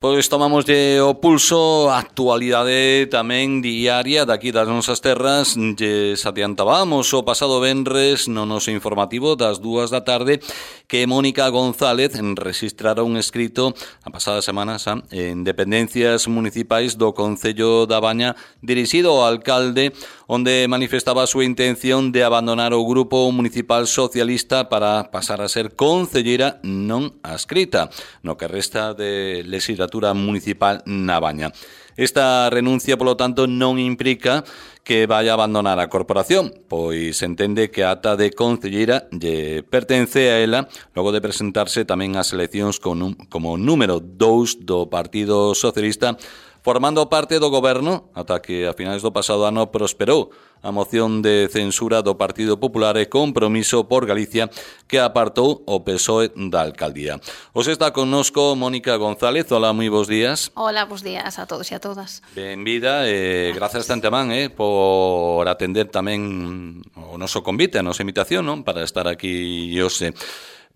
Pois tomamoslle o pulso, a actualidade tamén diaria daqui das nosas terras. Lles adiantábamos o pasado venres no noso informativo das 2 da tarde que Mónica González registrara un escrito a pasada semana en dependencias municipais do Concello da Baña dirixido ao alcalde, onde manifestaba a súa intención de abandonar o grupo municipal socialista para pasar a ser concelleira non adscrita no que resta de legislatura municipal na Baña. Esta renuncia, polo tanto, non implica que vaya a abandonar a corporación, pois entende que a ata de concelleira lle pertence a ela logo de presentarse tamén ás eleccións como número 2 do Partido Socialista, formando parte do goberno ata que a finais do pasado ano prosperou a moción de censura do Partido Popular e Compromiso por Galicia que apartou o PSOE da alcaldía. Os está connosco Mónica González. Hola, moi bons días. Hola, bons días a todos e a todas. Benvida e grazas tantamán por atender tamén o noso convite, a nosa invitación, non, para estar aquí hoxe.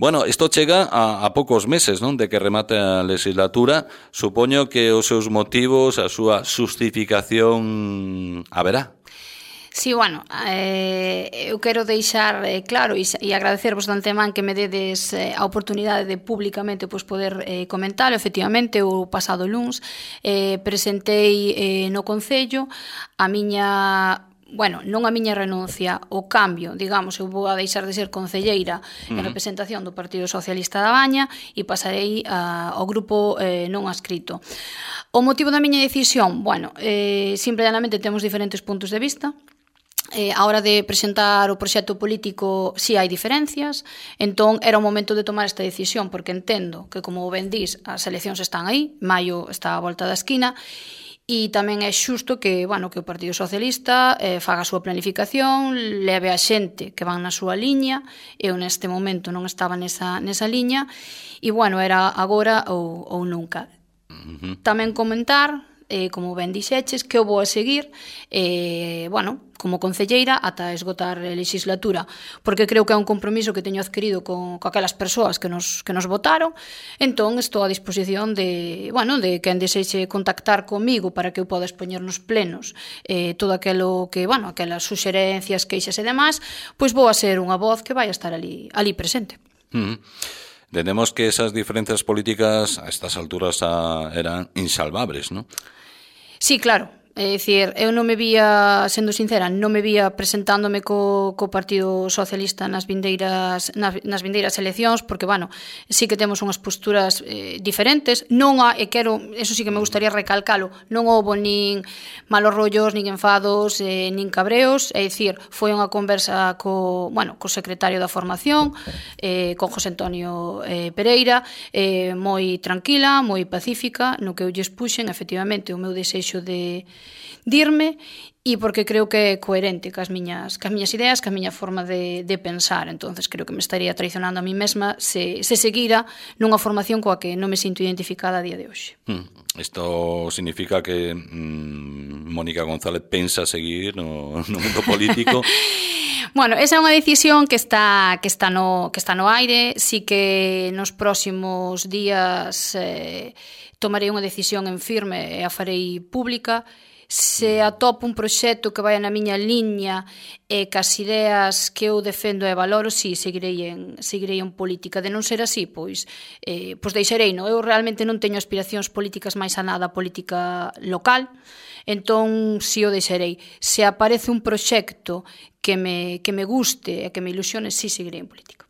Bueno, isto chega a poucos meses, non, de que remate a legislatura. Supoño que os seus motivos, a súa justificación haberá. Sí, bueno, eu quero deixar claro e agradecervos de antemán que me dedes a oportunidade de públicamente poder comentar. Efectivamente, o pasado luns presentei no Concello a miña... Bueno, non a miña renuncia, o cambio, digamos, eu vou a deixar de ser concelleira en representación do Partido Socialista da Baña e pasarei ao grupo non adscrito. O motivo da miña decisión, bueno, simple e llanamente temos diferentes puntos de vista. A hora de presentar o proxecto político si hai diferencias, entón era o momento de tomar esta decisión, porque entendo que, como ben dís, as eleccións están aí, maio está á volta da esquina, e tamén é xusto que, bueno, que o Partido Socialista faga a súa planificación, leve a xente que van na súa liña. Eu neste momento non estaba nesa liña e, bueno, era agora ou nunca. Tamén comentar, como ben dixeches, que eu vou a seguir, bueno, como concelleira ata esgotar a legislatura, porque creo que é un compromiso que teño adquirido con aquelas persoas que nos votaron. Entón, estou a disposición de, bueno, de quen desexe contactar comigo para que eu poda expoñer nos plenos todo aquilo que, bueno, aquelas suxerencias, queixas e demais, pois vou a ser unha voz que vai a estar ali presente. Entendemos que esas diferencias políticas a estas alturas eran insalvables, ¿no? Sí, claro. É dicir, eu non me vía, sendo sincera, non me vía presentándome co Partido Socialista nas vindeiras eleccións, porque, bueno, sí que temos unhas posturas diferentes. Non e quero, eso sí que me gustaría recalcalo, non houbo nin malos rollos, nin enfados, nin cabreos. É dicir, foi unha conversa co secretario da formación, con José Antonio Pereira, moi tranquila, moi pacífica, no que eu lles puxen, efectivamente, o meu desexo de dirme, e porque creo que é coherente cas miñas ideas, ca miña forma de pensar. Entonces creo que me estaría traicionando a mí mesma se seguira nunha formación coa que non me sinto identificada a día de hoxe. Isto significa que Mónica González pensa seguir no mundo político? Bueno, esa é unha decisión que está no aire. Sí que nos próximos días tomarei unha decisión en firme e a farei pública. Se atopo un proxecto que vai na miña liña e cas ideas que eu defendo e valoro, si, seguirei en política. De non ser así, pois deixarei, non? Eu realmente non teño aspiracións políticas máis a nada política local, entón si o deixarei. Se aparece un proxecto que me guste e que me ilusione, si seguirei en política.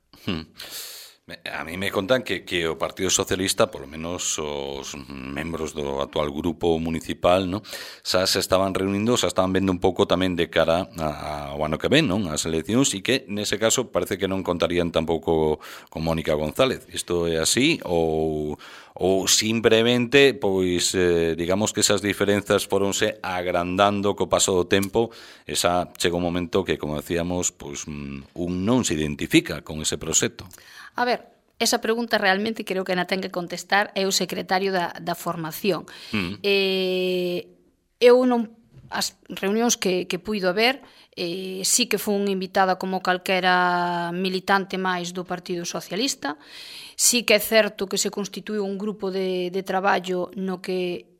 A mí me contan que o Partido Socialista, polo menos os membros do actual grupo municipal, ¿no?, xa se estaban reunindo, xa estaban vendo un pouco tamén de cara ao ano que ven, non?, as eleccións, e que nese caso parece que non contarían tampouco con Mónica González. Isto é así ou simplemente, pois, digamos que esas diferenzas foronse agrandando co paso do tempo, e xa chega un momento que, como decíamos, pois un non se identifica con ese proxecto? A ver, esa pregunta realmente creo que na ten que contestar é o secretario da formación. Eu non as reunións que puido haber, sí que fun invitada como calquera militante máis do Partido Socialista. Sí que é certo que se constituiu un grupo de traballo no que,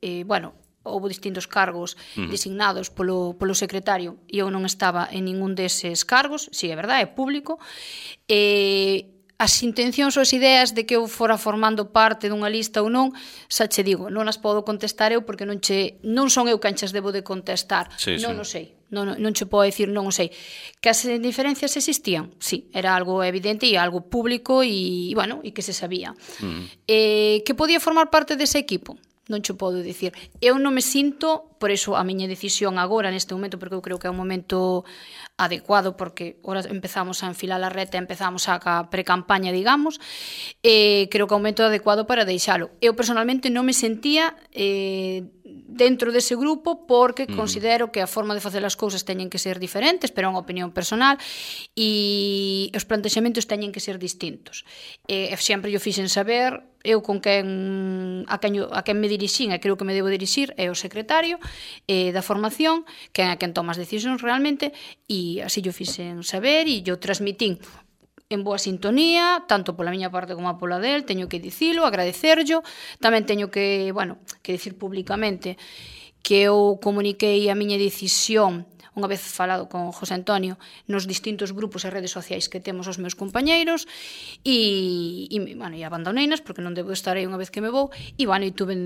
houve distintos cargos designados polo secretario e eu non estaba en ningún deses cargos, si é verdade, é público. As intencións ou as ideas de que eu fora formando parte dunha lista ou non, xa che digo, non as podo contestar eu porque non son eu quen chas debo de contestar. Non o sei. Non che podo dicir, non o sei. Que as diferencias existían? Sí, era algo evidente e algo público e que se sabía. Que podía formar parte dese equipo? Non che podo dicir. Eu non me sinto, por iso a miña decisión agora, neste momento, porque eu creo que é un momento adecuado, porque ahora empezamos a enfilar a reta, empezamos a pre-campaña, digamos, creo que é un momento adecuado para deixalo. Eu personalmente non me sentía dentro dese grupo porque considero que a forma de facer as cousas teñen que ser diferentes, pero é unha opinión personal, e os plantexamentos teñen que ser distintos. Sempre yo fixen saber, eu con a quen me dirixín e creo que me debo dirixir é o secretario da formación, que é a quen toma as decisións realmente, e así yo fixen saber e yo transmitín en boa sintonía, tanto pola miña parte como pola del, teño que dicilo, agradecerllo, tamén teño que dicir públicamente que eu comuniquei a miña decisión unha vez falado con José Antonio nos distintos grupos e redes sociais que temos os meus compañeiros e abandoneinas porque non debo estar aí unha vez que me vou e tuve,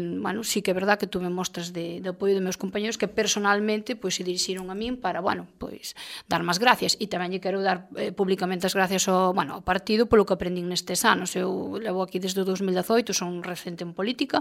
sí que é verdad que tuve mostras de apoio dos meus compañeiros que personalmente se dirixiron a min para, dar máis gracias e tamén lle quero dar públicamente as gracias ao partido polo que aprendín nestes anos. Eu levo aquí desde o 2018, son recente en política,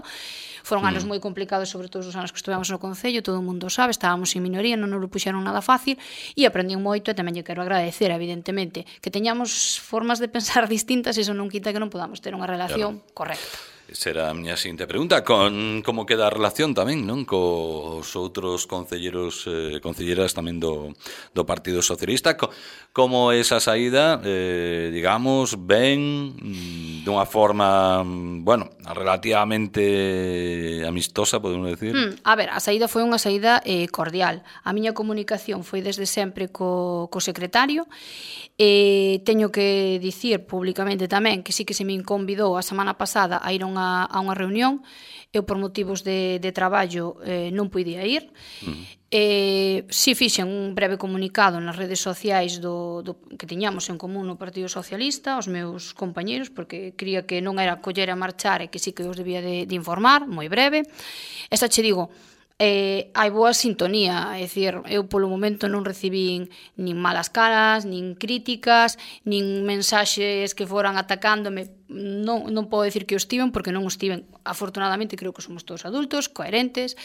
foron anos moi complicados, sobre todo os anos que estivemos no Concello, todo o mundo sabe, estábamos en minoría, non nos lo puxeron nada fácil e aprendín moito e tamén lle quero agradecer, evidentemente, que teñamos formas de pensar distintas, iso non quita que non podamos ter unha relación correcta. Esa era a miña seguinte pregunta, como queda a relación tamén, non, cos outros concelleros e concelleras tamén do Partido Socialista, como esa saída, digamos, ben dunha forma, relativamente amistosa, podemos decir? A ver, a saída foi unha saída cordial. A miña comunicación foi desde sempre co secretario. Teño que dicir públicamente tamén que sí que se me convidou a semana pasada a ir a unha reunión. Eu por motivos de traballo non podía ir. Si fixen un breve comunicado nas redes sociais do que tiñamos en común no Partido Socialista, os meus compañeiros, porque cría que non era coller a marchar e que sí que os debía de informar, moi breve. Esta che digo, hai boa sintonía, é dicir, eu polo momento non recibín nin malas caras, nin críticas, nin mensaxes que foran atacándome. Non podo dicir que o estiven porque non o estiven. Afortunadamente creo que somos todos adultos, coherentes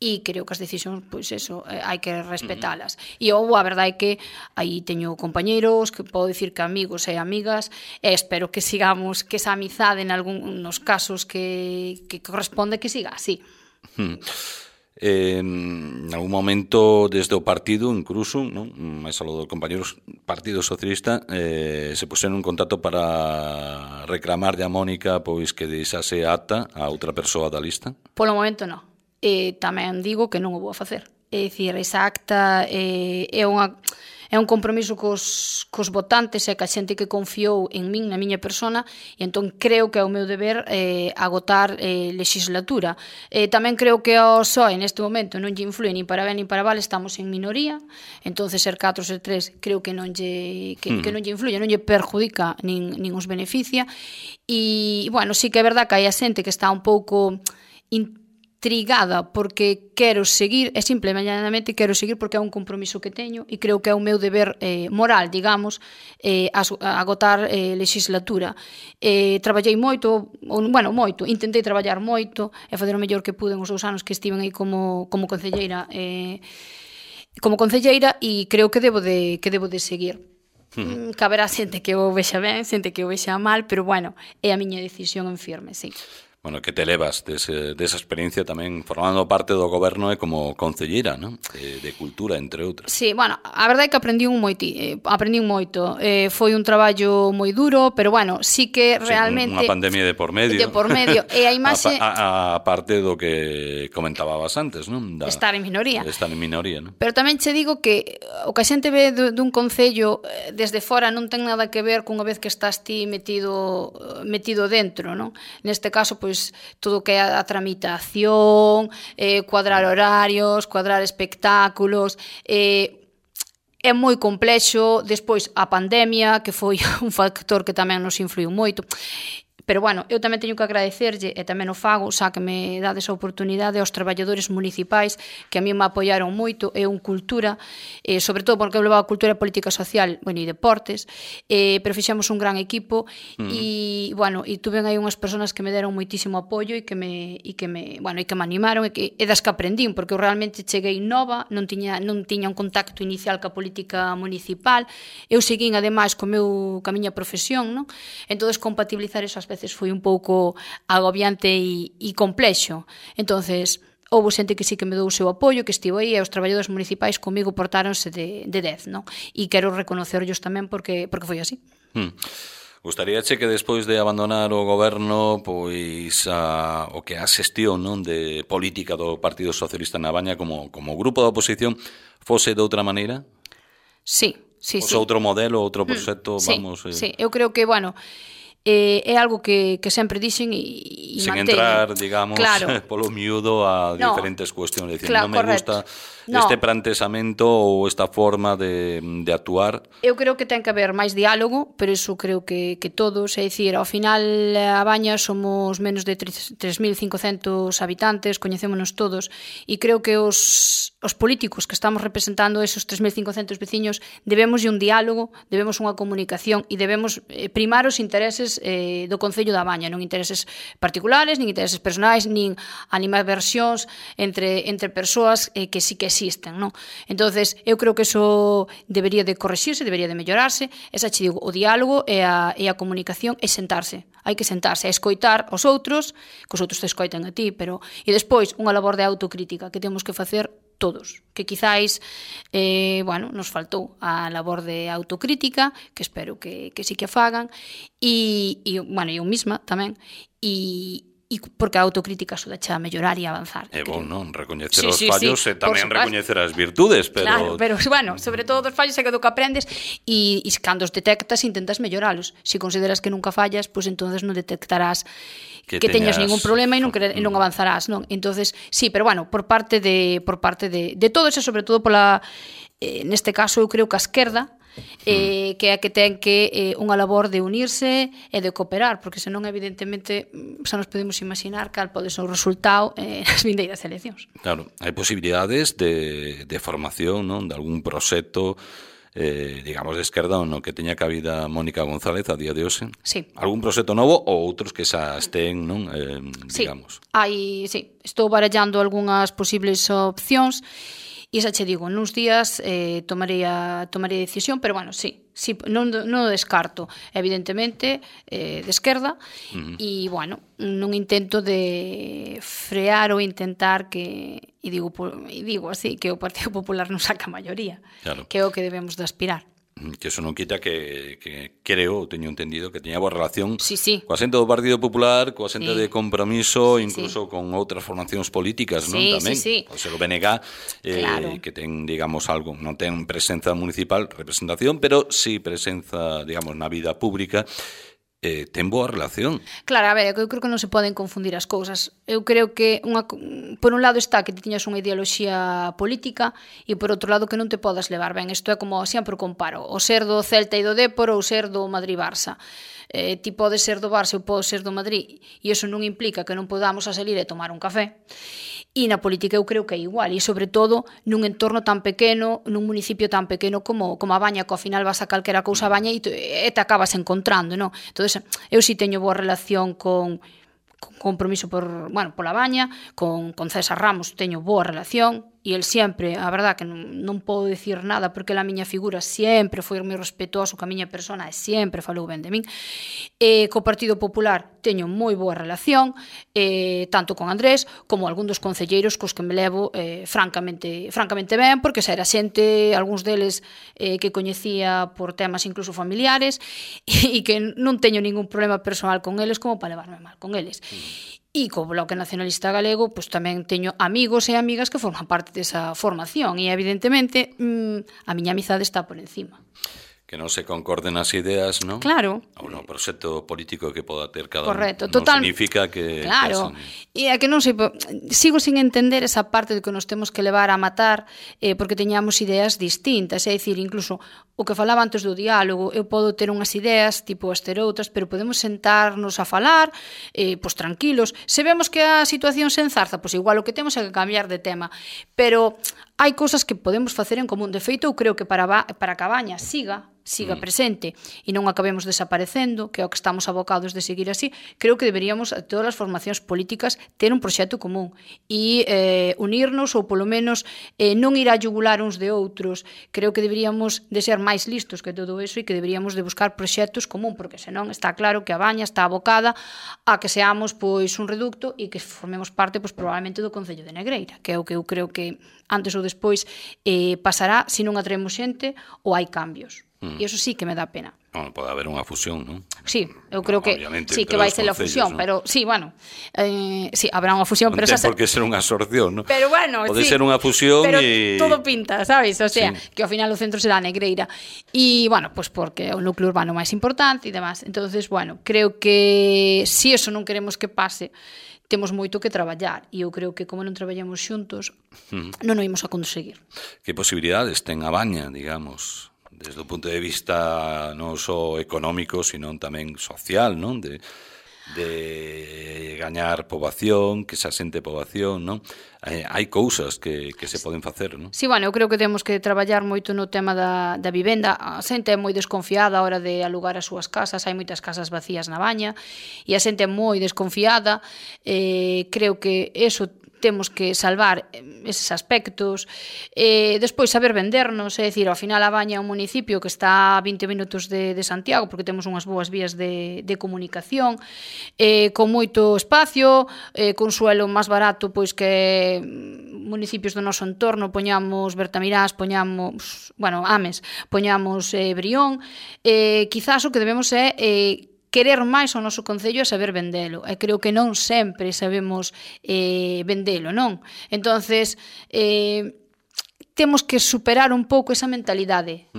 e creo que as decisións, hai que respetalas. E a verdade é que aí teño compañeiros que podo dicir que amigos e amigas e espero que sigamos, que esa amizade en algúns casos que corresponde que siga así. En algún momento desde o partido incluso, non? Máis algo dos compañeros Partido Socialista se puseron en contacto para reclamarlle a Mónica pois que deixase ata a outra persoa da lista? Polo momento non. Tamén digo que non o vou a facer. É dicir, esa acta é un compromiso cos votantes e ca xente que confiou en min, na miña persona, e entón creo que é o meu deber agotar legislatura. Tamén creo que ao PSOE neste momento non lle influe nin para ben nin para mal, estamos en minoría, entonces ser 4 ou ser 3 creo que non lle influye, non lle perjudica nin os beneficia, e, sí que é verdad que hai a xente que está un pouco intrigada porque quero seguir, e simplemente quero seguir porque é un compromiso que teño e creo que é o meu deber moral, digamos, agotar legislatura. Traballei moito, intentei traballar moito e fazer o mellor que pude os 2 anos que estiven aí como concelleira e creo que debo de seguir. Caberá xente que o vexa ben, xente que o vexa mal, pero é a miña decisión en firme, sí. Bueno, que te levas desa experiencia tamén formando parte do goberno e como concelleira, non? De cultura, entre outras. Sí, bueno, a verdade é que aprendín moito. Foi un traballo moi duro, pero bueno, sí que realmente... Unha pandemia de por medio. E a imaxe... A parte do que comentabas antes, non? Estar en minoría. Estar en minoría, non? Pero tamén che digo que o que a xente ve dun concello desde fora non ten nada que ver cunha vez que estás ti metido dentro, non? Neste caso, pois, todo o que é a tramitación, cuadrar horarios, cuadrar espectáculos, é moi complexo. Despois a pandemia, que foi un factor que tamén nos influiu moito. Pero, bueno, eu tamén teño que agradecerlle, e tamén o fago, xa que me dades a oportunidade aos traballadores municipais que a mí me apoiaron moito, e un cultura, sobre todo porque eu levaba cultura e política social, bueno, e deportes, pero fixemos un gran equipo, e, bueno, e tuven aí unhas persoas que me deron moitísimo apoio e que me animaron, e das que aprendín, porque eu realmente cheguei nova, non tiña un contacto inicial ca política municipal, eu seguín, ademais, ca miña profesión, non? Entonces, compatibilizar eso ás veces foi un pouco agobiante e complexo. Entonces, houve xente que sí que me dou o seu apoio, que estivo aí, e os traballadores municipais comigo portáronse de 10, non? E quero reconocerlos tamén porque foi así. Gustaríache que despois de abandonar o goberno, pois o que a xestión, non, de política do Partido Socialista na Baña como grupo da oposición fose de outra maneira? Sí. Outro modelo, outro proxecto, vamos... Sí, eu creo que, bueno... é algo que sempre dixen e sin manteño. Entrar, digamos, polo miúdo a diferentes cuestións. Decir, non me gusta este planteamento ou esta forma de actuar. Eu creo que ten que haber máis diálogo, pero iso creo que todos, é dicir, ao final a Baña somos menos de 3.500 habitantes, coñecémonos todos, e creo que os políticos que estamos representando esos 3.500 veciños debemos un diálogo, debemos unha comunicación e debemos primar os intereses do Concello da Baña, non intereses particulares, nin intereses personais, nin animadversións entre persoas que sí que existen, non? Entonces, eu creo que eso debería de correxirse, debería de mellorarse. Esa che digo, o diálogo e a comunicación é sentarse. Hai que sentarse a escoitar os outros, que os outros te escoiten a ti, pero e despois unha labor de autocrítica que temos que facer todos, que quizáis nos faltou a labor de autocrítica, que espero que sí que fagan, e eu mesma tamén, e porque a autocrítica axudache a mellorar e a avanzar. É bon, non? Recoñecer os fallos e tamén recoñecer as virtudes, pero... Claro, pero, sobre todo dos fallos é que do que aprendes e cando os detectas intentas melloralos. Se consideras que nunca fallas, pois entonces non detectarás que teñas ningún problema e non avanzarás, non? Entonces, sí, pero por parte de todos e sobre todo pola neste caso eu creo que a esquerda que é a que ten que unha labor de unirse e de cooperar, porque senón evidentemente xa nos podemos imaginar cal pode ser o resultado nas vindeiras eleccións. Claro, hai posibilidades de formación, non, de algún proxecto digamos de esquerda no que teña cabida Mónica González a día de hoxe? Sí. Algún proxecto novo ou outros que xa estén, non, digamos? Sí, estou barallando algunhas posibles opcións. E xa che digo, nuns días tomarei a decisión, pero sí, non o descarto, evidentemente, de esquerda, e, non intento de frear ou intentar que, e digo así, que o Partido Popular non saca a maioría, claro, que é o que debemos de aspirar. Que eso non quita que creo, teño entendido, que teña boa relación coa xente do Partido Popular, coa xente de Compromiso, incluso con outras formacións políticas, non? Tamén, pode ser o BNG, claro, que ten, digamos, algo, non ten presenza municipal, representación, pero sí presenza, digamos, na vida pública. Ten boa relación. Claro, a ver, eu creo que non se poden confundir as cousas. Eu creo que por un lado está que te tiñas unha ideoloxía política e por outro lado que non te podas levar ben. Isto é como sempre o comparo, o ser do Celta e do Dépor ou ser do Madrid-Barça. Ti podes ser do Barça ou podes ser do Madrid e iso non implica que non podamos a salir e tomar un café. E na política eu creo que é igual, e sobre todo nun entorno tan pequeno, nun municipio tan pequeno como a Baña, que ao final vas a calquera cousa a Baña e te acabas encontrando, non? Entón, eu si teño boa relación con Compromiso pola Baña, con César Ramos teño boa relación, e el sempre, a verdad que non podo dicir nada porque a miña figura sempre foi moi respetuoso ca miña persona e sempre falou ben de min. Co Partido Popular teño moi boa relación, tanto con Andrés como algún dos concelleiros cos que me levo francamente ben, porque xa era xente, algúns deles que coñecía por temas incluso familiares e que non teño ningún problema personal con eles como para levarme mal con eles. E co Bloque Nacionalista Galego pois tamén teño amigos e amigas que forman parte desa formación e evidentemente a miña amizade está por encima. Que non se concorden as ideas, non? Claro. Ou no proxecto político que poda ter cada Correcto, un. total. Non significa que... Claro, e é que non sei, sigo sin entender esa parte de que nos temos que levar a matar porque teñamos ideas distintas, é dicir, incluso o que falaba antes do diálogo, eu podo ter unhas ideas, tipo as ter outras, pero podemos sentarnos a falar, pois tranquilos. Se vemos que a situación se enzarza, pois igual o que temos é que cambiar de tema, pero hai cousas que podemos facer en común. De feito, eu creo que para a Cabaña siga presente e non acabemos desaparecendo, que é o que estamos abocados de seguir así, creo que deberíamos, a todas as formacións políticas, ter un proxecto común e unirnos ou polo menos non ir a yugular uns de outros. Creo que deberíamos de ser máis listos que todo eso e que deberíamos de buscar proxectos común, porque senón está claro que a Baña está abocada a que seamos pois un reducto e que formemos parte pois probablemente do Concello de Negreira, que é o que eu creo que antes ou despois pasará se non atraemos xente ou hai cambios. E iso sí que me dá pena. Non, pode haber unha fusión, non? Sí, eu creo que sí que vai ser a fusión, ¿no? Pero sí, bueno, sí, habrá unha fusión, non pero ten por que ser unha absorción, non? Pero bueno, pode sí, ser unha fusión pero e todo pinta, sabes? O sea, sí, que ao final o centro será Negreira. E bueno, pues porque é o núcleo urbano máis importante e demás. Entonces, bueno, creo que si eso non queremos que pase, temos moito que traballar e eu creo que como non traballamos xuntos non o imos a conseguir. Que posibilidades ten a Baña, digamos, desde o punto de vista non só económico, sino tamén social, non? De gañar poboación, que se asente poboación, non? Hai cousas que se poden facer, non? Sí, bueno, eu creo que temos que traballar moito no tema da vivenda. A xente é moi desconfiada a hora de alugar as súas casas, hai moitas casas vacías na Baña e a xente é moi desconfiada. Creo que eso temos que salvar eses aspectos, despois saber vendernos, é dicir, ao final a Baña é un municipio que está a 20 minutos de Santiago, porque temos unhas boas vías de comunicación, con moito espacio, con suelo máis barato pois que municipios do noso entorno, poñamos Bertamirás, poñamos, bueno, Ames, poñamos Brión, quizás o que debemos é querer máis o noso concello e saber vendelo. E creo que non sempre sabemos vendelo, non? Entonces, temos que superar un pouco esa mentalidade.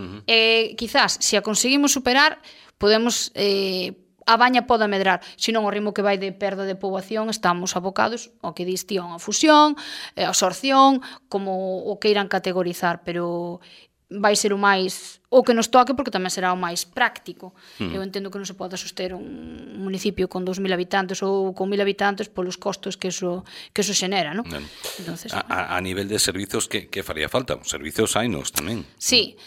Quizás, se a conseguimos superar, podemos... a Baña pode medrar, senón o ritmo que vai de perda de poboación estamos abocados ao que dis ti, a unha fusión, a absorción, como o que irán categorizar, pero vai ser o máis o que nos toque porque tamén será o máis práctico. Eu entendo que non se pode soster un municipio con 2.000 habitantes ou con 1.000 habitantes polos costos que eso xenera, non? Entonces, a nivel de servizos, que faría falta? Os servizos hainos tamén. Sí.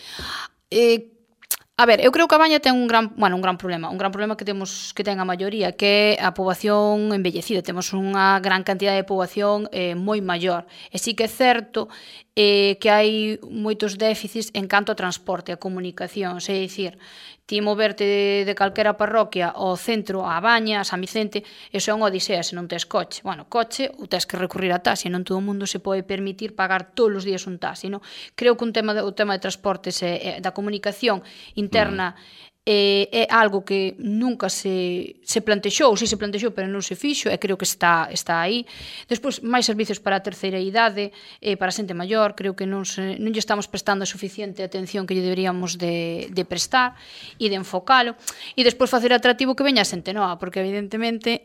A ver, eu creo que a Baña ten un gran problema que ten a maioría, que é a poboación envellecida. Temos unha gran cantidad de poboación moi maior. E sí que é certo que hai moitos déficits en canto a transporte, a comunicación, é dicir, ti moverte de calquera parroquia ao centro, á Baña, a San Vicente, eso é unha odisea se non tes coche. Bueno, coche, ou tes que recurrir a taxi, non todo o mundo se pode permitir pagar todos os días un taxi, non? Creo que o tema de transportes e da comunicación interna é algo que nunca se plantexou, si se plantexou, pero non se fixo, e creo que está aí. Despois, máis servizos para a terceira idade, para a xente maior, creo que non lle estamos prestando a suficiente atención que lle deberíamos de prestar e de enfocalo. E despois facer atractivo que veña a xente nova, porque evidentemente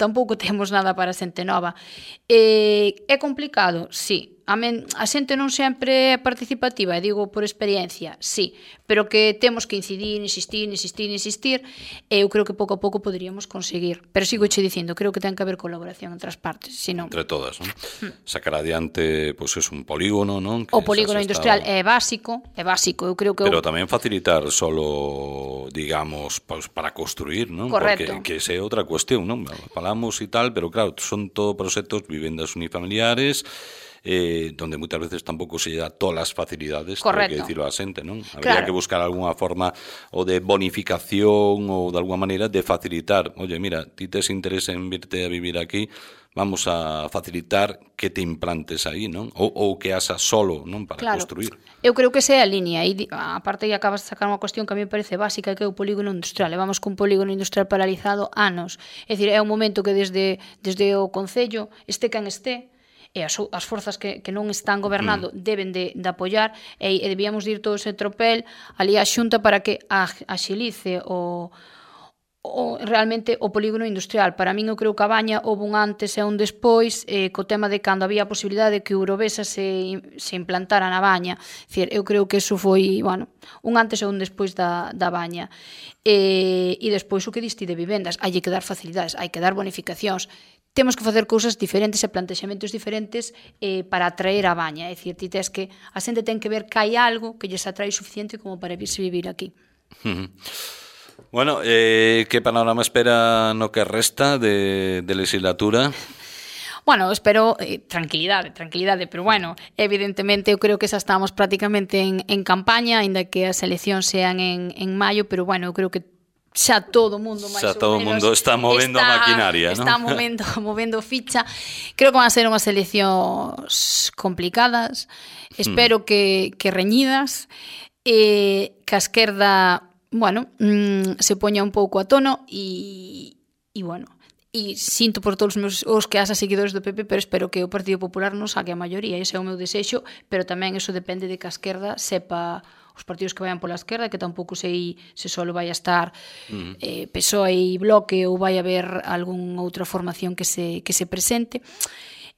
tampouco temos nada para a xente nova. É complicado? Sí. A xente non sempre é participativa, e digo por experiencia, sí, pero que temos que insistir, e eu creo que pouco a pouco poderíamos conseguir. Pero sigo che dicindo, creo que ten que haber colaboración entre as partes, senón... Entre todas, non? Sacar adiante, pois, é un polígono, non? O polígono industrial é básico, eu creo que... Pero tamén facilitar solo, digamos, para construir, non? Correcto. Porque que esa é outra cuestión, non? Falamos e tal, pero claro, son todo proxectos, vivendas unifamiliares, donde moitas veces tampouco se dá todas as facilidades, correcto, hai que dicirlo a xente, non? Habría que buscar algunha forma ou de bonificación ou de alguna maneira de facilitar. Oye, mira, ti tes interés en virte a vivir aquí, vamos a facilitar que te implantes aí, non? Ou que haxas solo, non? Para construir. Eu creo que esa é a liña. E aparte, acabas de sacar unha cuestión que a mí me parece básica, que é o polígono industrial. Levamos cun polígono industrial paralizado anos. É dicir, é un momento que desde o Concello, este quen este, e as forzas que non están gobernando deben de apoiar, e debíamos ir todo ese tropel ali á Xunta para que axilice realmente o polígono industrial. Para min, eu creo que a Baña houve un antes e un despois, co tema de cando había a posibilidade de que Eurovesa se implantara na Baña. Dicir, eu creo que eso foi, bueno, un antes e un despois da Baña. E despois o que diste de vivendas, hai que dar facilidades, hai que dar bonificacións. Temos que facer cousas diferentes e plantexamentos diferentes para atraer a Baña. É dicir, ti tes que a xente ten que ver que hai algo que lles atrae suficiente como para virse vivir aquí. Bueno, que panorama espera no que resta de legislatura? Bueno, espero tranquilidade, pero bueno, evidentemente eu creo que xa estamos prácticamente en campaña, aínda que as eleccións sean en maio, pero bueno, eu creo que xa todo o mundo máis xa todo o mundo está movendo a maquinaria, está movendo ficha. Creo que van a ser unhas eleccións complicadas, espero que reñidas, que a esquerda, bueno, se poña un pouco a tono e bueno, e sinto por todos os que haxa seguidores do PP, pero espero que o Partido Popular non saque a maioría, ese é o meu desexo, pero tamén eso depende de que a esquerda sepa, os partidos que vayan pola esquerda, que tampouco sei se só vai a estar PSOE e Bloque ou vai haber algunha outra formación que se presente.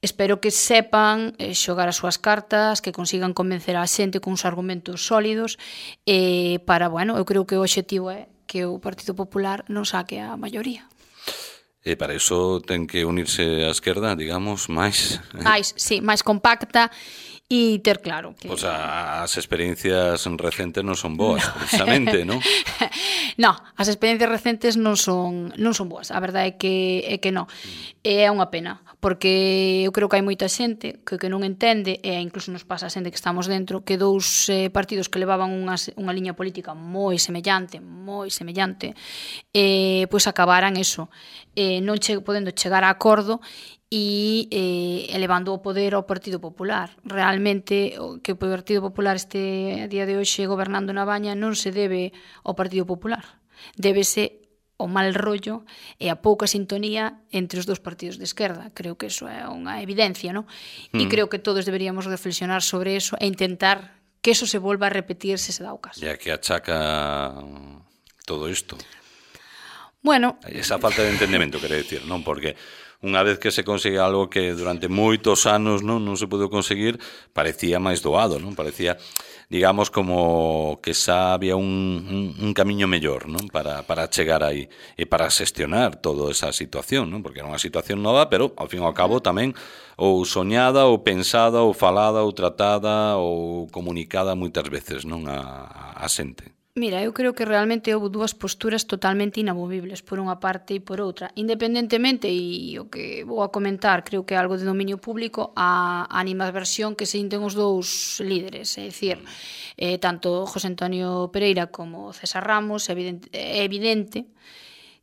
Espero que sepan xogar as súas cartas, que consigan convencer a xente con uns argumentos sólidos para, bueno, eu creo que o obxectivo é que o Partido Popular non saque a maioría. E para iso ten que unirse a esquerda, digamos, máis compacta e ter claro que... Pois as experiencias recentes non son boas, precisamente, non? Non, as experiencias recentes non son boas, a verdade é que non. É unha pena, porque eu creo que hai moita xente que non entende, e incluso nos pasa a xente que estamos dentro, que dous partidos que levaban unha liña política moi semellante, pois acabaran eso, non podendo chegar a acordo e elevando o poder ao Partido Popular. Realmente, que o Partido Popular este a día de hoxe gobernando na Baña non se debe ao Partido Popular, débese ao mal rollo e a pouca sintonía entre os dous partidos de esquerda. Creo que eso é unha evidencia, non? E creo que todos deberíamos reflexionar sobre eso e intentar que eso se volva a repetir se dá o caso. E a que achaca todo isto? Bueno, esa falta de entendemento, quere decir, non? Porque unha vez que se consigue algo que durante moitos anos non se pudo conseguir, parecía máis doado, non? Parecía, digamos, como que xa había un camiño mellor, non? Para chegar aí e para xestionar toda esa situación, non? Porque era unha situación nova, pero ao fin e ao cabo tamén ou soñada, ou pensada, ou falada, ou tratada, ou comunicada moitas veces, non? A xente. Mira, eu creo que realmente houve dúas posturas totalmente inamovibles, por unha parte e por outra. Independentemente, e o que vou a comentar, creo que é algo de dominio público, a animadversión que se sinten os dous líderes. É dicir, tanto José Antonio Pereira como César Ramos, é evidente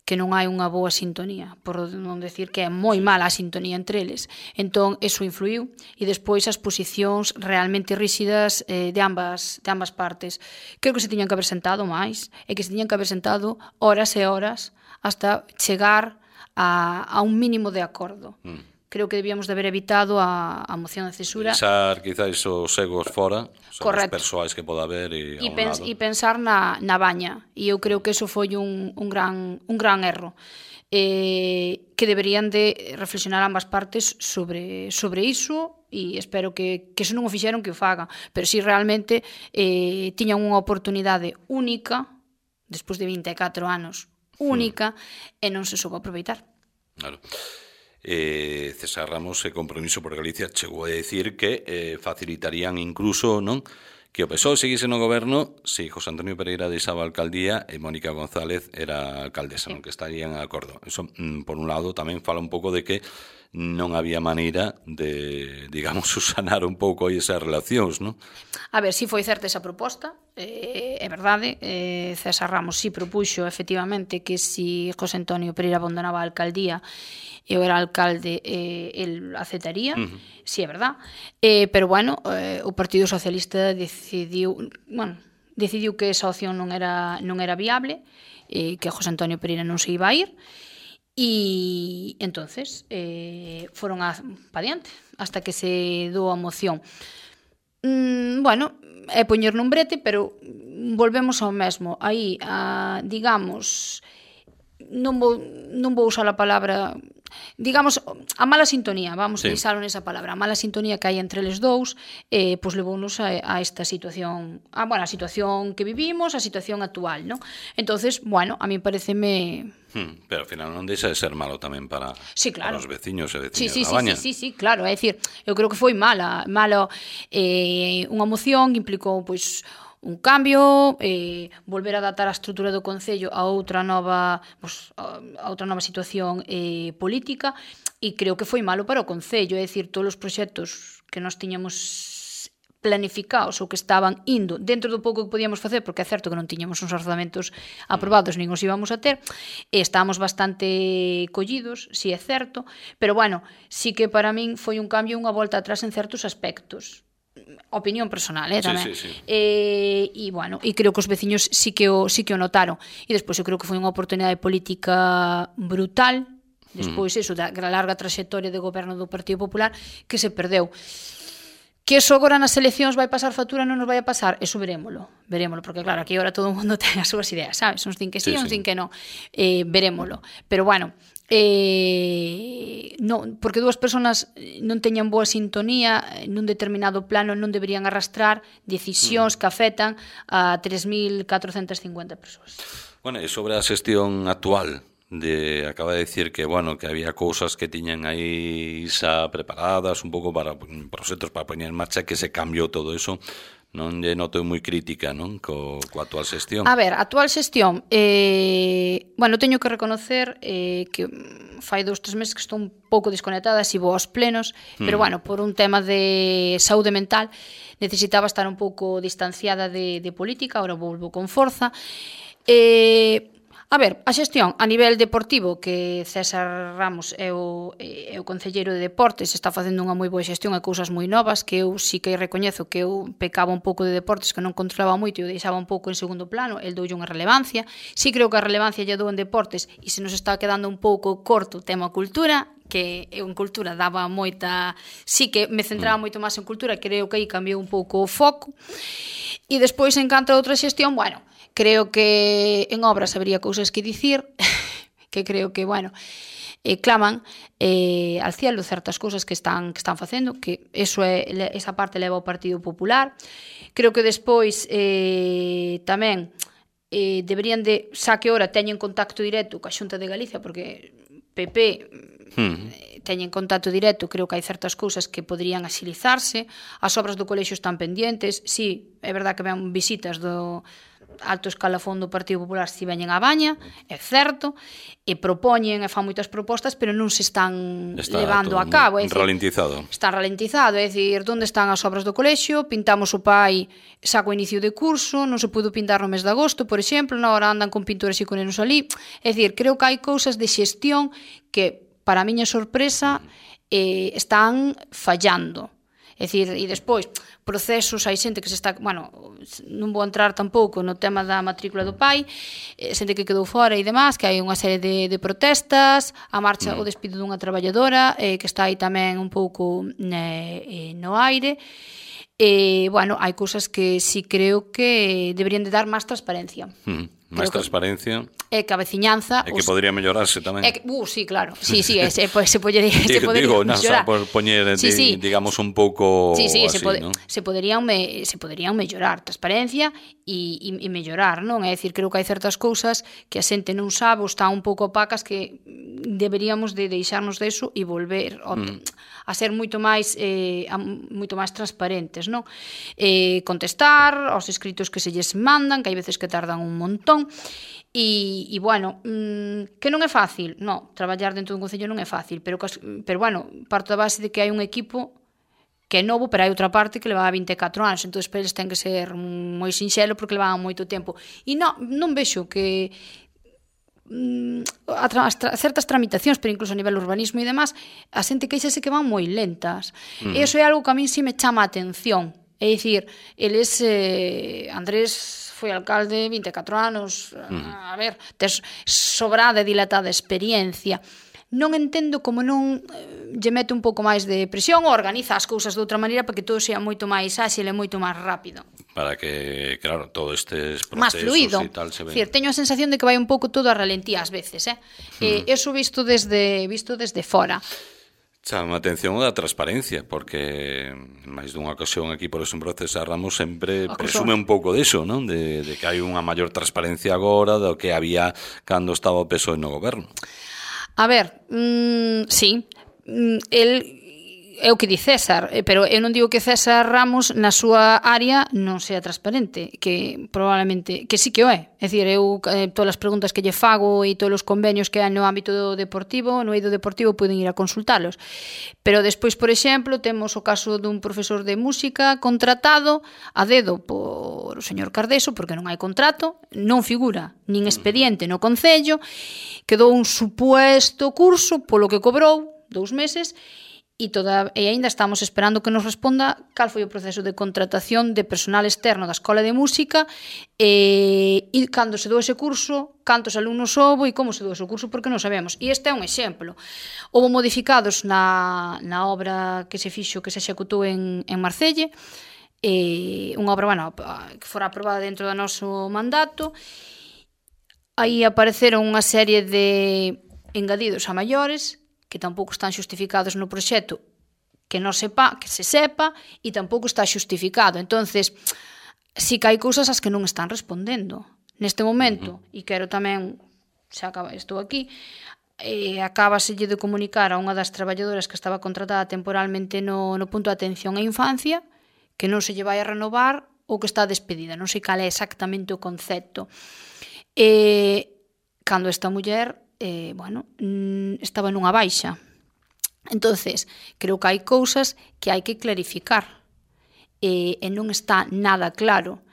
que non hai unha boa sintonía, por non decir que é moi mala a sintonía entre eles. Entón, eso influiu, e despois as posicións realmente ríxidas de ambas partes. Creo que se tiñan que haber sentado máis, e que se tiñan que haber sentado horas e horas hasta chegar a un mínimo de acordo. Creo que debíamos de haber evitado a moción de censura. Pensar, quizás, os egos fora, os persoais que poda haber e pensar na Baña. E eu creo que eso foi un gran erro. Que deberían de reflexionar ambas partes sobre iso, e espero que se non o fixeron que o fagan. Pero si realmente tiñan unha oportunidade única, despois de 24 anos, única, e non se soubo aproveitar. Claro. César Ramos e Compromiso por Galicia chegou a decir que facilitarían incluso, non, que o PSOE seguise no goberno se José Antonio Pereira deixaba a alcaldía e Mónica González era alcaldesa, non, que estarían de acordo. Eso, por un lado, tamén fala un pouco de que non había maneira de, digamos, sanar un pouco aí esas relacións, non? A ver, si foi certa esa proposta, é verdade, César Ramos si propuxo efectivamente que si José Antonio Pereira abandonaba a alcaldía eu era alcalde, el aceptaría, si é verdad, pero bueno, o Partido Socialista decidiu que esa opción non era viable, que José Antonio Pereira non se iba a ir, e entonces foron pa diante hasta que se dou a moción. Bueno, é poñer nun brete, pero volvemos ao mesmo. Aí, digamos, non vou usar a palabra, digamos, a mala sintonía, vamos a deixalo nesa palabra, a mala sintonía que hai entre eles dous, pois levounos a esta situación, a situación que vivimos, a situación actual, non? Entonces, bueno, a mí pareceme... Pero ao final non deixa de ser malo tamén para os veciños e veciñas da Baña. Sí, claro, é dicir, eu creo que foi malo, unha moción implicou, pois, un cambio, volver a adaptar a estrutura do Concello a outra nova situación política, e creo que foi malo para o Concello, é dicir, todos os proxectos que nós tiñamos planificados ou que estaban indo dentro do pouco que podíamos facer, porque é certo que non tiñamos uns orzamentos aprobados nin os íbamos a ter, estábamos bastante collidos, si é certo, pero bueno, sí que para min foi un cambio, unha volta atrás en certos aspectos. Opinión personal, tamén. Sí. E bueno, e creo que os veciños sí que o notaron. E despois eu creo que foi unha oportunidade política brutal, despois eso da larga traxectoria de goberno do Partido Popular, que se perdeu. Que eso agora nas eleccións vai pasar factura, non nos vai a pasar, eso verémolo, porque claro, aquí agora todo o mundo ten as súas ideas, sabes? Uns din que sí, uns din que non, verémolo. Pero bueno, non, porque dúas persoas non teñan boa sintonía nun determinado plano, non deberían arrastrar decisións que afectan a 3.450 persoas. Bueno, e sobre a xestión actual, acaba de decir que, bueno, que había cousas que tiñan aí xa preparadas un pouco para proxectos para poñer en marcha, que se cambiou todo eso. Non lle noto moi crítica, non, coa actual xestión. A ver, a actual xestión, bueno, teño que reconocer que fai 2-3 meses que estou un pouco desconectada, si vou aos plenos, pero bueno, por un tema de saúde mental necesitaba estar un pouco distanciada de política, ahora volvo con forza. A ver, a xestión a nivel deportivo, que César Ramos é o concelleiro de deportes, está facendo unha moi boa xestión e cousas moi novas, que eu sí que recoñezo que eu pecaba un pouco de deportes, que non controlaba moito e o deixaba un pouco en segundo plano, el doulle unha relevancia. Sí creo que a relevancia lle dou en deportes e se nos está quedando un pouco corto o tema cultura, que eu en cultura daba moita... Sí que me centraba moito máis en cultura, creo que aí cambiou un pouco o foco. E despois, en canto a outra xestión, bueno, creo que en obras habería cousas que dicir, que creo que, bueno, claman al cielo certas cousas que están facendo, que esa parte leva ao Partido Popular. Creo que despois tamén deberían de, xa que ora teñen contacto directo coa Xunta de Galicia, porque PP teñen contacto directo, creo que hai certas cousas que poderían axilizarse, as obras do colexio están pendentes, sí, é verdad que ven visitas do alto escalafón do Partido Popular si veñen a Baña, é certo, e propoñen e fan moitas propostas, pero non se están levando a cabo. Está ralentizado. Está ralentizado, é dicir, onde están as obras do colexio? Pintamos o pai xa co inicio de curso, non se pudo pintar no mes de agosto, por exemplo, na hora andan con pintores e conenos ali. É dicir, creo que hai cousas de xestión que, para a miña sorpresa, están fallando. É dicir, e despois, procesos, hai xente que se está... Bueno, non vou entrar tampouco no tema da matrícula do pai, xente que quedou fora e demás, que hai unha serie de protestas, a marcha, o despido dunha traballadora, que está aí tamén un pouco no aire. Bueno, hai cousas que sí creo que deberían de dar máis transparencia. Máis transparencia. E que a veciñanza... E que podría mellorarse tamén. Sí, claro. Sí, se podería mellorar. Por poñer, digamos, un pouco así, non? Se poderían mellorar. Transparencia e mellorar, non? É dicir, creo que hai certas cousas que a xente non sabe ou están un pouco opacas que deberíamos de deixarnos deso e volver a ser moito máis transparentes, non? Contestar aos escritos que se lles mandan, que hai veces que tardan un montón, información. E bueno, que non é fácil, non, traballar dentro dun concello non é fácil, pero bueno, parto da base de que hai un equipo que é novo, pero hai outra parte que levaba 24 anos, entón para eles ten que ser moi sinxelo porque levaban moito tempo. E non vexo que certas tramitacións, pero incluso a nivel urbanismo e demás, a xente queixase que van moi lentas. E iso é algo que a min si me chama a atención. É dicir, eles, Andrés foi alcalde 24 anos, a ver, tes sobrada e dilatada experiencia. Non entendo como non lle mete un pouco máis de presión ou organiza as cousas de outra maneira para que todo sea moito máis áxil e moito máis rápido. Para que, claro, todo estes procesos máis fluido. E tal se ven. Decir, teño a sensación de que vai un pouco todo a ralentía ás veces, Eso visto desde fora. Chama a atención da transparencia, porque máis dunha ocasión aquí por exemplo César Ramos sempre presume un pouco diso, non? De que hai unha maior transparencia agora do que había cando estaba o PSOE no goberno. A ver, sí, é o que di César, pero eu non digo que César Ramos na súa área non sea transparente, que probablemente, que sí que o é. É dicir, eu todas as preguntas que lle fago e todos os convenios que hai no ámbito deportivo, no eido deportivo, poden ir a consultalos. Pero despois, por exemplo, temos o caso dun profesor de música contratado a dedo por o señor Cardeso, porque non hai contrato, non figura nin expediente no Concello, quedou un supuesto curso polo que cobrou 2 meses, e aínda estamos esperando que nos responda cal foi o proceso de contratación de personal externo da Escola de Música e cando se dou ese curso, cantos alumnos houbo e como se dou ese curso, porque non sabemos. E este é un exemplo. Houbo modificados na obra que se fixo, que se executou en Marcelle, unha obra, bueno, que fora aprobada dentro do noso mandato. Aí apareceron unha serie de engadidos a maiores que tampouco están xustificados no proxecto, que se sepa, e tampouco está xustificado. Entonces, si que hai cousas as que non están respondendo. Neste momento, e quero tamén, estou aquí, acábaselle de comunicar a unha das traballadoras que estaba contratada temporalmente no punto de atención á infancia que non se lle vai a renovar ou que está despedida. Non sei cal é exactamente o concepto. Cando esta muller estaba nunha baixa. Entonces, creo que hai cousas que hai que clarificar e non está nada claro.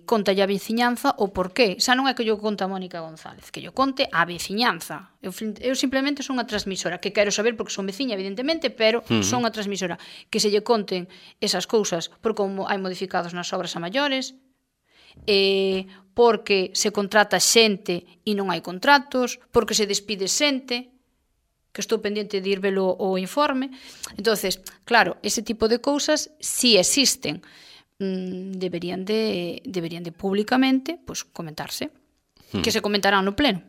Contalle a veciñanza o porqué. Xa non é que yo conte a Mónica González, que yo conte a veciñanza. Eu simplemente son a transmisora, que quero saber porque son veciña, evidentemente, pero son a transmisora. Que se lle conten esas cousas por como hai modificados nas obras a maiores, porque se contrata xente e non hai contratos, porque se despide xente, que estou pendiente de ir velo o informe. Entonces, claro, ese tipo de cousas si existen, deberían de públicamente comentarse, que se comentarán no pleno.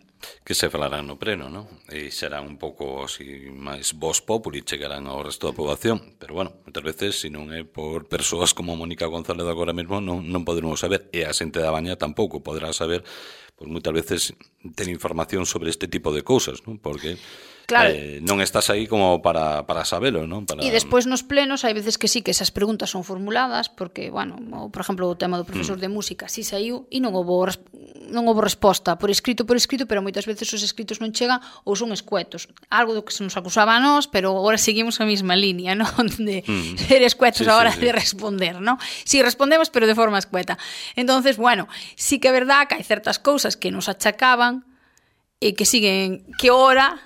Que se falarán no pleno, non? E serán un pouco así máis voz populi, chegarán ao resto da poboación. Pero bueno, moitas veces, se non é por persoas como Mónica González agora mesmo, non poderemos saber. E a xente da Baña tampouco poderá saber, pois moitas veces ten información sobre este tipo de cousas, non? Porque claro, non estás aí como para sabelo, non? E despois nos plenos hai veces que sí que esas preguntas son formuladas, porque, bueno, por exemplo, o tema do profesor de música si saiu e non houbo resposta por escrito, pero moitas veces os escritos non chegan ou son escuetos. Algo do que se nos acusaba a nós, pero agora seguimos a mesma línea, non? De ser escuetos a hora de responder, non? Si respondemos, pero de forma escueta. Entonces, bueno, sí que é verdad que hai certas cousas que nos achacaban e que siguen, que ora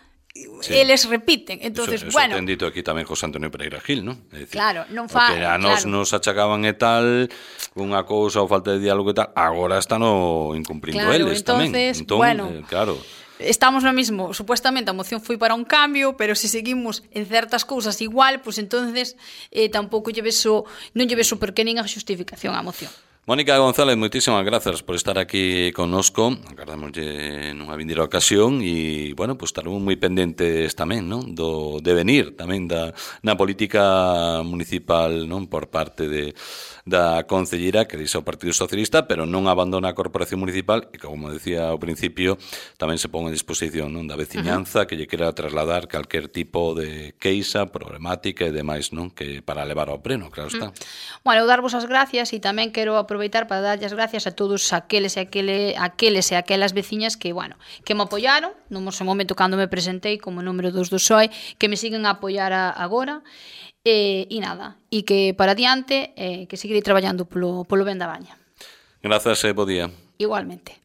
eles repiten. Entonces, eso bueno, ten dito aquí tamén José Antonio Pereira Gil, non? É dicir, claro, non fa, que a nos achacaban e tal unha cousa ou falta de diálogo e tal, agora están incumplindo eles tamén. Entón, bueno, claro, estamos no mismo, supuestamente a moción foi para un cambio, pero se seguimos en certas cousas igual, pues entonces tampouco non lle beso por que nin a xustificación á moción. Mónica González, moitísimas grazas por estar aquí connosco. Agardamoslle nunha vindeira ocasión e, bueno, pues estaremos moi pendentes tamén, non? Do devenir tamén na política municipal, non? Por parte da concelleira que dixe o Partido Socialista, pero non abandona a corporación municipal e, como decía ao principio, tamén se pon a disposición, non? Da veciñanza que lle quera trasladar calquer tipo de queixa, problemática e demais, non? Que para levar ao pleno, claro está. Bueno, eu darvos as gracias e tamén quero aproveitar aproveitar para darlle as gracias a todos aqueles e aquelas veciñas que, bueno, que me apoiaron no momento cando me presentei como número 2 do PSOE, que me siguen a apoiar agora, e nada, e que para diante que seguirei traballando polo ben da Baña. Grazas e bo día. Igualmente.